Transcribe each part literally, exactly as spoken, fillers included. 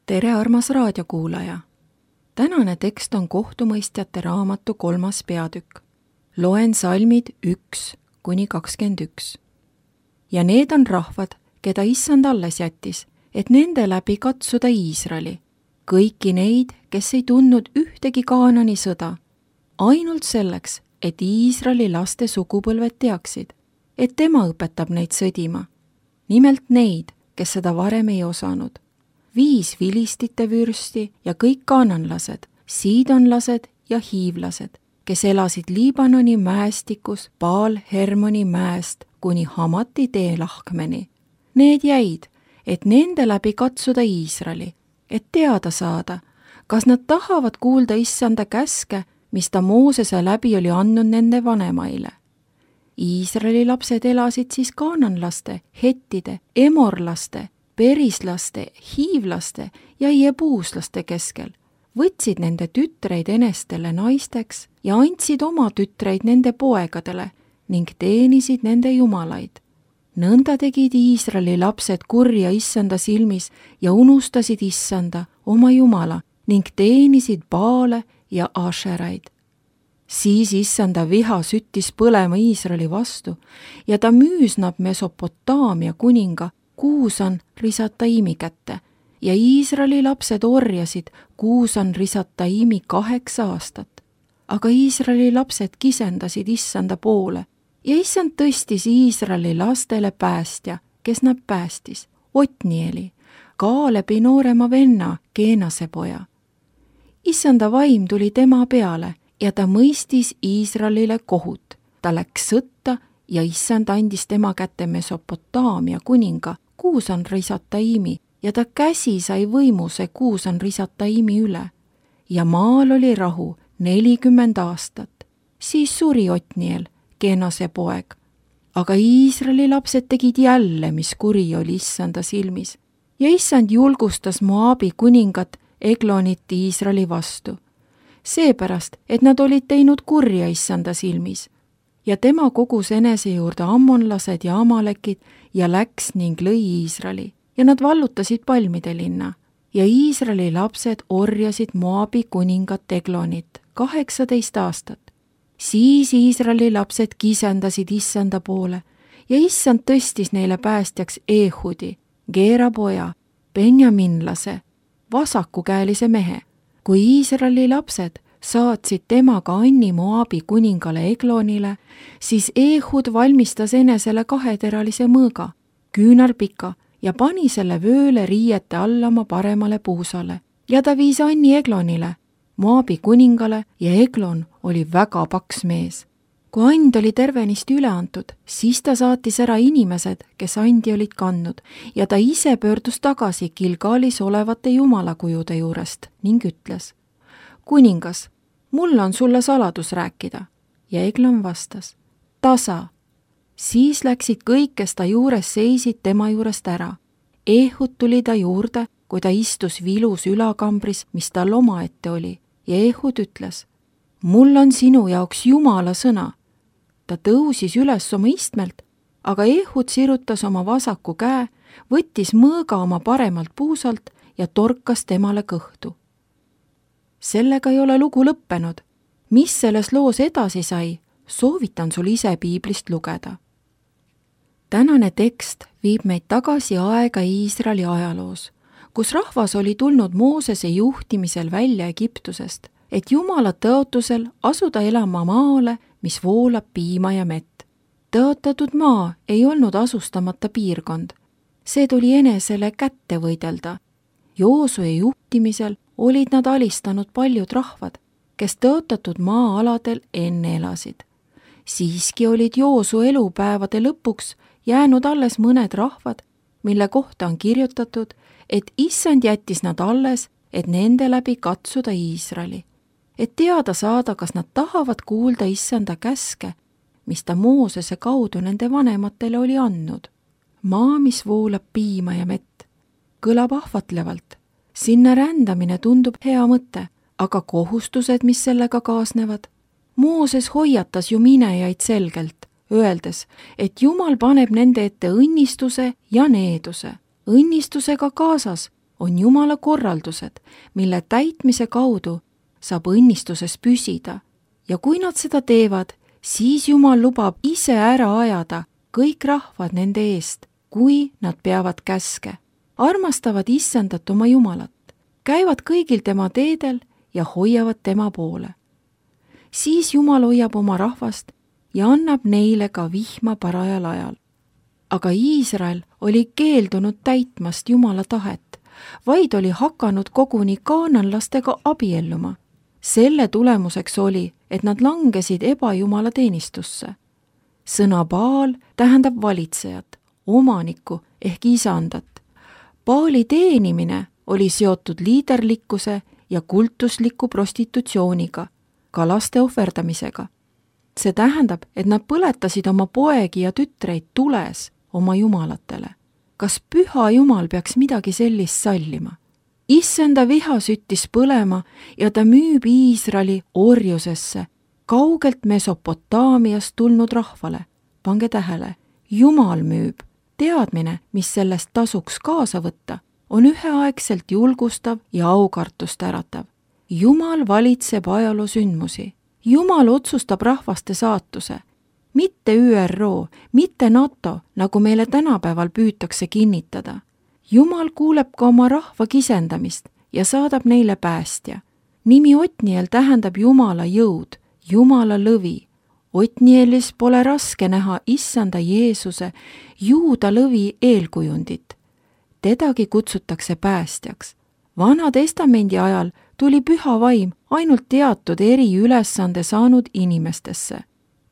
tere, armas raadiokuulaja! Tänane tekst on kohtumõistjate raamatu kolmas peatükk. Loen salmid üks kuni kakskümmend üks. Ja need on rahvad, keda issand alles jättis, et nende läbi katsuda Iisraeli, kõiki neid, kes ei tundnud ühtegi Kaanani sõda, ainult selleks, et Iisraeli laste sugupõlved teaksid, et tema õpetab neid sõdima. Nimelt neid, kes seda varem ei osanud. Viis vilistite vürsti ja kõik kaananlased, siidonlased ja hiivlased, kes elasid Liibanoni mäestikus Baal Hermoni mäest kuni Hamati tee lahkmeni. Need jäid, et nende läbi katsuda Iisraeli, et teada saada, kas nad tahavad kuulda issanda käske, mis ta Moosese läbi oli andnud nende vanemaile. Iisraeli lapsed elasid siis kaananlaste, hettide, emorlaste, perislaste, hiivlaste ja jebuuslaste keskel, võtsid nende tütreid enestele naisteks ja andsid oma tütreid nende poegadele ning teenisid nende jumalaid. Nõnda tegid Iisraeli lapsed kurja issanda silmis ja unustasid issanda, oma jumala, ning teenisid Baale ja Ašeraid. Siis issanda viha süttis põlema Iisraeli vastu ja ta müüs nad Mesopotaamia kuninga Kuusan Risataimi kätte ja Iisraeli lapsed orjasid Kuusan Risataimi kaheksa aastat. Aga Iisraeli lapsed kisendasid issanda poole ja issand tõstis Iisraeli lastele päästja, kes nad päästis, Otnieli, Kaalebi noorema venna, Keenase poja. Issanda vaim tuli tema peale ja ta mõistis Iisraelile kohut. Ta läks sõtta ja issand andis tema kätte Mesopotaamia kuninga Kuusan Risataimi ja ta käsi sai võimuse Kuusan Risataimi üle. Ja maal oli rahu nelikümmend aastat. Siis suri Otniel, Keenase poeg. Aga Iisraeli lapsed tegid jälle, mis kuri oli issanda silmis. Ja issand julgustas Moabi kuningat Eglonit Iisraeli vastu. Seepärast, et nad olid teinud kurja issanda silmis. Ja tema kogus enese juurde ammonlased ja amalekid ja läks ning lõi Iisraeli ja nad vallutasid palmide linna. Ja Iisraeli lapsed orjasid Moabi kuningat Eglonit kaheksateist aastat. Siis Iisraeli lapsed kisendasid issanda poole ja issand tõstis neile päästjaks Ehudi, Geera poja, Benjaminlase, vasakukäelise mehe. Kui Iisraeli lapsed saatsid temaga Anni Moabi kuningale Eglonile, siis Ehud valmistas enesele kaheteralise mõõga, küünarpika, ja pani selle vööle riiete alla oma paremale puusale. Ja ta viis Anni Eglonile, Moabi kuningale, ja Eglon oli väga paks mees. Kui and oli tervenist üle antud, siis ta saatis ära inimesed, kes andi olid kandnud, ja ta ise pöördus tagasi Gilgalis olevate jumalakujude juurest ning ütles: Kuningas, mul on sulle saladus rääkida. Ja Eglon vastas: Tasa. Siis läksid kõik, kes ta juures seisid, tema juurest ära. Ehud tuli ta juurde, kui ta istus vilus ülakambris, mis tal omaette oli, ja Ehud ütles: Mul on sinu jaoks Jumala sõna. Ta tõusis üles oma istmelt, aga Ehud sirutas oma vasaku käe, võttis mõõga oma paremalt puusalt ja torkas temale kõhtu. Sellega ei ole lugu lõppenud. Mis selles loos edasi sai, soovitan sul ise piiblist lugeda. Tänane tekst viib meid tagasi aega Iisraeli ajaloos, kus rahvas oli tulnud Moosese juhtimisel välja Egiptusest, et Jumala tõotusel asuda elama maale, mis voolab piima ja mett. Tõotatud maa ei olnud asustamata piirkond. See tuli enesele kätte võidelda. Joosue juhtimisel olid nad alistanud paljud rahvad, kes tõotatud maa-aladel enne elasid. Siiski olid Joosu elupäevade lõpuks jäänud alles mõned rahvad, mille kohta on kirjutatud, et issand jättis nad alles, et nende läbi katsuda Iisraeli, et teada saada, kas nad tahavad kuulda issanda käske, mis ta Moosese kaudu nende vanematele oli andnud. Maa, mis voolab piima ja mett, kõlab ahvatlevalt. Sinna rändamine tundub hea mõte, aga kohustused, mis sellega kaasnevad. Mooses hoiatas ju minejaid selgelt, öeldes, et Jumal paneb nende ette õnnistuse ja needuse. Õnnistusega kaasas on Jumala korraldused, mille täitmise kaudu saab õnnistuses püsida ja kui nad seda teevad, siis Jumal lubab ise ära ajada kõik rahvad nende eest, kui nad peavad käske, armastavad Issandat oma Jumalat, käivad kõigil tema teedel ja hoiavad tema poole. Siis Jumal hoiab oma rahvast ja annab neile ka vihma parajal ajal. Aga Iisrael oli keeldunud täitmast Jumala tahet, vaid oli hakanud koguni kaananlastega abielluma. Selle tulemuseks oli, et nad langesid ebajumala teenistusse. Sõna Baal tähendab valitsejat, omanikku ehk isandat. Baali teenimine oli seotud liiderlikkuse ja kultusliku prostitutsiooniga, ka laste ohverdamisega. See tähendab, et nad põletasid oma poegi ja tütreid tules oma jumalatele. Kas püha Jumal peaks midagi sellist sallima? Issanda viha süttis põlema ja ta müüb Iisraeli orjusesse, kaugelt Mesopotaamiast tulnud rahvale. Pange tähele, Jumal müüb. Teadmine, mis sellest tasuks kaasa võtta, on üheaegselt julgustav ja aukartust äratav. Jumal valitseb ajaloo sündmusi. Jumal otsustab rahvaste saatuse. Mitte Ü R O, mitte NATO, nagu meile tänapäeval püütakse kinnitada. Jumal kuuleb ka oma rahva kisendamist ja saadab neile päästja. Nimi Otniel tähendab Jumala jõud, Jumala lõvi. Otnielis pole raske näha Issanda Jeesuse juuda lõvi eelkujundit. Tedagi kutsutakse päästjaks. Vana testamendi ajal tuli püha vaim ainult teatud eriülesande saanud inimestesse.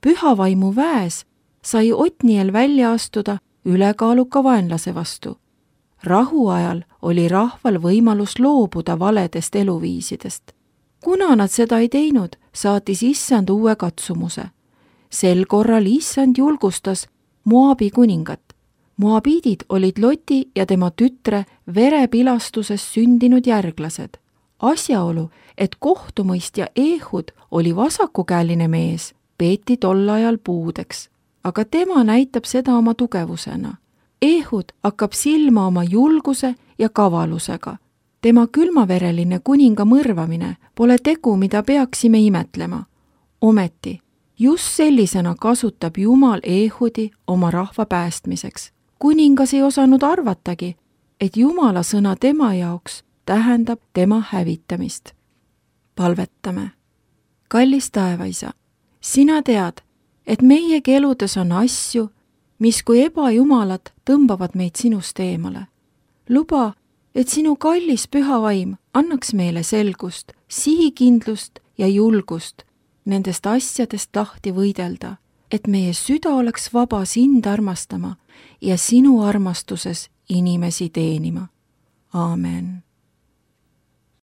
Püha vaimu väes sai Otniel välja astuda ülekaaluka vaenlase vastu. Rahu ajal oli rahval võimalus loobuda valedest eluviisidest. Kuna nad seda ei teinud, saatis Issand uue katsumuse. Sel korral Issand julgustas Moabi kuningat. Moabiidid olid Loti ja tema tütre verepilastuses sündinud järglased. Asjaolu, et kohtumõistja Ehud oli vasakukäeline mees, peeti tol ajal puudeks, aga tema näitab seda oma tugevusena. Ehud hakkab silma oma julguse ja kavalusega. Tema külmavereline kuninga mõrvamine pole tegu, mida peaksime imetlema. Ometi, just sellisena kasutab Jumal Ehudi oma rahva päästmiseks. Kuningas ei osanud arvatagi, et Jumala sõna tema jaoks tähendab tema hävitamist. Palvetame. Kallis taevaisa, sina tead, et meiegi eludes on asju, mis kui ebajumalad tõmbavad meid sinust eemale. Luba, et sinu kallis püha vaim annaks meile selgust, sihikindlust ja julgust nendest asjadest lahti võidelda, et meie süda oleks vaba sind armastama ja sinu armastuses inimesi teenima. Aamen.